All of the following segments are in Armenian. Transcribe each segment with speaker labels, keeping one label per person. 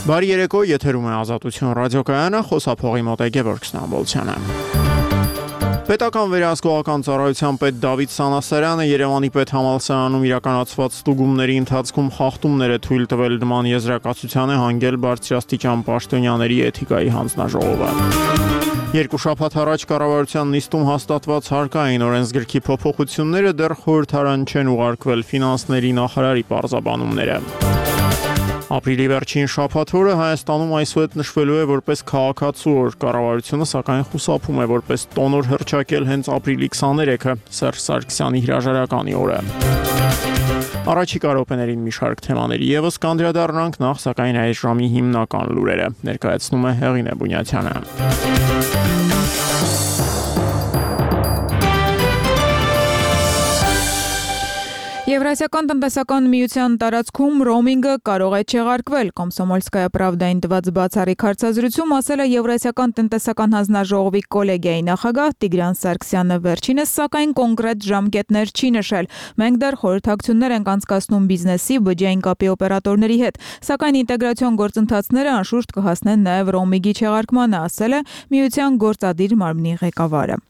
Speaker 1: Բարի երեկո, եթերում է Ազատություն ռադիոկայանը, խոսափողի մոտ է Գևորգ Ստամբոլցյանը։ Պետական վերահսկողական ծառայության պետ Դավիթ Սանասարյանը Երևանի պետհամալսարանում իրականացված ստուգումների ընթացքում խախտումներ է թույլ տվել նման եզրակացության է հանգել բարձրաստիճան պաշտոնյաների էթիկայի հանձնաժողովը։ Երկու շաբաթ առաջ կառավարության նիստում հաստատված հարկային օրենսգրքի փոփոխությունները դեռ խորհրդարան չեն ուղարկվել ֆինանսների նախարարի պարզաբանումները։ Ապրիլի վերջին շաբաթ-օրը Հայաստանում այսուհետ նշվելու է որպես քաղաքացու օր, կառավարությունը սակայն խուսափում է որպես տոնոր հռչակել հենց ապրիլի 23-ը Սերժ Սարգսյանի հրաժարականի օրը։ Առաջիկա րոպեներին մի շարք թեմաների եւս կանդրադառնանք, նախ սակայն այս ժամի հիմնական լուրերը ներկայացնում է Հեղինե Բունյացյանը։
Speaker 2: Եվրասիական տնտեսական միության տարածքում ռոմինգը կարող է չեղարկվել, Կոմսոմոլսկայա պրավդային տված բացառիկ հարցազրույցում ասել է Եվրասիական տնտեսական հանձնաժողովի կոլեգիայի նախագահ Տիգրան Սարգսյանը, վերջինս սակայն կոնկրետ ժամկետներ չի նշել։ Մենք դեռ խորհրդակցություններ ենք անցկացնում բիզնեսի, բջջային կապի օպերատորների հետ, սակայն ինտեգրացիոն գործընթացները անշուշտ կհասնեն նաև ռոմինգի չեղարկմանը, ասել է միության գործադիր մարմնի ղեկավարը։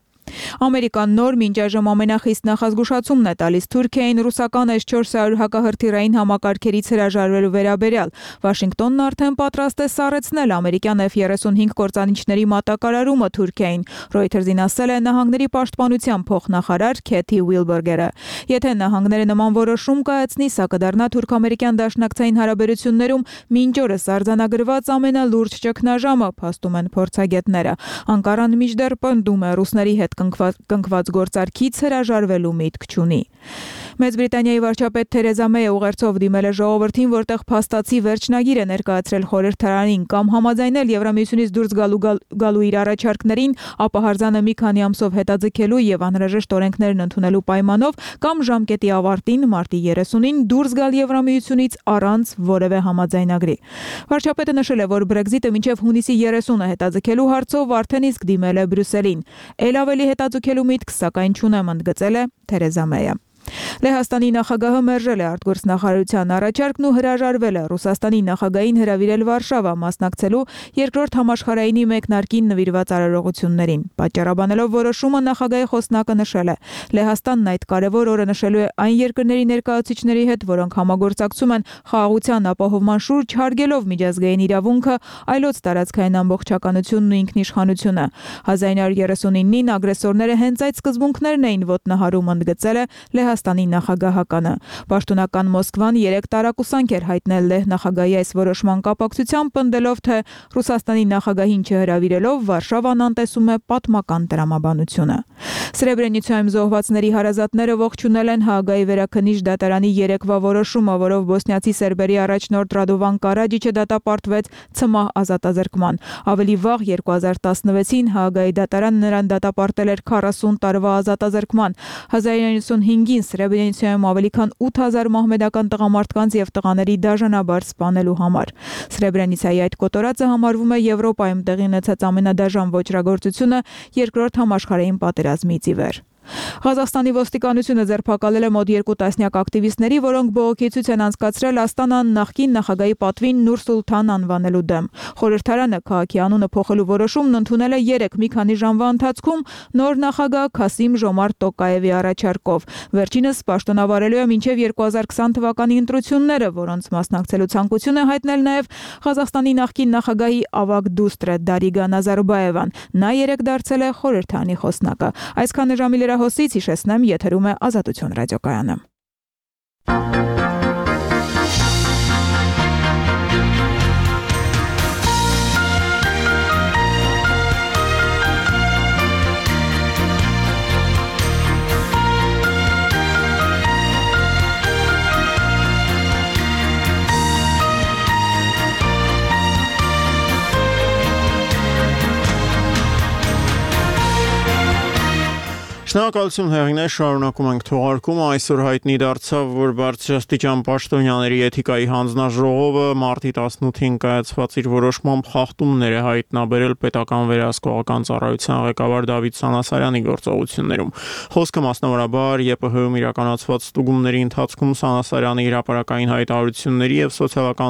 Speaker 2: Ամերիկան նոր մինչ այժմ ամենախիստ նախազգուշացումն է տալիս Թուրքիային ռուսական S-400 հակահրթիռային համակարգերից հրաժարվելու վերաբերյալ։ Վաշինգտոնն արդեն պատրաստ է սառեցնել ամերիկյան F-35 կործանիչների մատակարարումը Թուրքիային, Reuters-ին ասել է Նահանգների պաշտպանության փոխնախարար Քեթի Ուիլբերգերը։ Եթե նահանգները նման որոշում կայացնի, սա կդառնա թուրք-ամերիկյան դաշնակցային հարաբերություններում մինչ օրս արձանագրված ամենալուրջ ճգնաժամը, փաստում են փորձագետները։ Անկարան մինչդեռ պնդում է ռուսների հետ կնքված գործարքից հրաժարվելու միտք չունի։ Մեծ Բրիտանիայի վարչապետ Թերեզա Մեյը ուղերձով դիմել է ժողովրդին, որտեղ փաստացի վերջնագիր է ներկայացրել խորհրդարանին կամ համաձայնել Եվրամիությունից դուրս գալու իր առաջարկներին, ապա հարձանը մի քանի ամսով հետաձգելու եւ անհրաժեշտ օրենքներն ընդունելու պայմանով կամ ժամկետի ավարտին մարտի 30-ին դուրս գալ Եվրամիությունից առանց որևէ համաձայնագրի։ Վարչապետը նշել է, որ Brexit-ը մինչև հունիսի 30-ը հետաձգելու հարցով արդեն իսկ դիմել է Բրյուսելին։ Ել ավելի հետաձգելու միտք սակայն չունեմ, ընդգծել է Թերեզա Մեյը։ Լեհաստանի նախագահը մերժել է արտգործնախարարության առաջարկն ու հրաժարվել է Ռուսաստանի նախագահին հրավիրել Վարշավա մասնակցելու երկրորդ համաշխարհայինի մեկնարկին նվիրված արարողություններին։ Պատճառաբանելով որոշումը նախագահի խոսնակը նշել է. Լեհաստանն այդ կարևոր օրը նշելու է այն երկրների ներկայացուցիչների հետ, որոնք համագործակցում են խաղաղության ապահովման շուրջ, հարգելով միջազգային իրավունքը, այլոց տարածքային ամբողջականությունն ու ինքնիշխանությունը։ 1939-ին ագրեսորները հենց այդ սկզբունքներն էին ոտնահարում, ընդգծել է Լեհաստանի նախագահականը։ Պաշտոնական Մոսկվան 3 տարակուսանք էր հայտնել Լեհ նախագահի այս որոշման կապակցությամբ, պնդելով, թե Ռուսաստանի նախագահին չհրավիրելով Վարշավան անտեսում է պատմական տրամաբանությունը։ Սրեբրենիցայում զոհվածների հարազատները ողջունել են Հաագայի վերաքննիչ դատարանի երեկվա որոշումը, որով բոսնիացի սերբերի առաջնորդ Ռադովան Կարաջիչը դատապարտվեց ցմահ ազատազրկման։ Ավելի վաղ 2016-ին Հաագայի դատարանը նրան դատապարտել էր 40 տարվա ազատազրկման։ 1995-ին Սրեբրենիցայում ավելի քան 8000 մահմեդական տղամարդկանց եւ տղաների դաժանաբար սպանելու համար։ Սրեբրենիցայի այդ կոտորածը համարվում է Եվրոպայում տեղի ունեցած ամենադաժան ոճրագործությունը երկրորդ համաշխարհային պատերազմից ի վեր։ Ղազախստանի ոստիկանությունը ձերբակալել է մոտ 2 տասնյակ ակտիվիստների, որոնք բողոքի ցույց են անցկացրել Աստանան նախկին նախագահի պատվին Նուր Սուլթան անվանելու դեմ։ Խորհրդարանը քաղաքի անունը փոխելու որոշումն ընդունել է 3 մի քանի ժամվա ընթացքում նոր նախագահ Քասիմ Ժոմարտ Տոկաևի առաջարկով։ Վերջինս պաշտոնավարելու է մինչև 2020 թվականի ընտրությունները, որոնց մասնակցելու ցանկություն է հայտնել նաև Ղազախստանի նախկին նախագահի ավագ դուստրը Դարիգա Նազարբաևան։ Նա երեկ դարձել է խորհրդարանի խոսնակը։ Այսքանը ժամի հոսից հիշեցնեմ, եթերում է Ազատություն ռադիոկայանը։
Speaker 1: Շնորհակալություն Հեղինե, շարունակում ենք թողարկումը։ Այսօր հայտնի դարձավ, որ բարձրաստիճան պաշտոնյաների էթիկայի հանձնաժողովը մարտի 18-ին կայացված իր որոշմամբ խախտումներ է հայտնաբերել պետական վերահսկողական ծառայության ղեկավար Դավիթ Սանասարյանի գործողություններում։ Խոսքը մասնավորաբար ԵՊՀ-ում իրականացված ստուգումների ընթացքում Սանասարյանի հրապարակային հայտարարությունների եւ սոցիալական